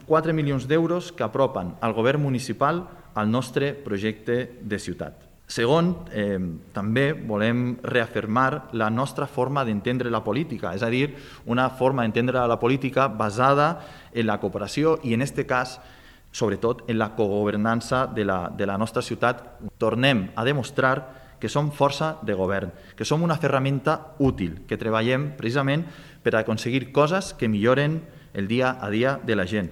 4 milions d'euros que apropen el govern municipal al nostre projecte de ciutat. Segon, també volem reafirmar la nostra forma d'entendre la política, és a dir, una forma d'entendre la política basada en la cooperació i, en aquest cas, sobretot en la cogovernança de la nostra ciutat. Tornem a demostrar que som força de govern, que som una ferramenta útil, que treballem precisament per aconseguir coses que milloren el dia a dia de la gent.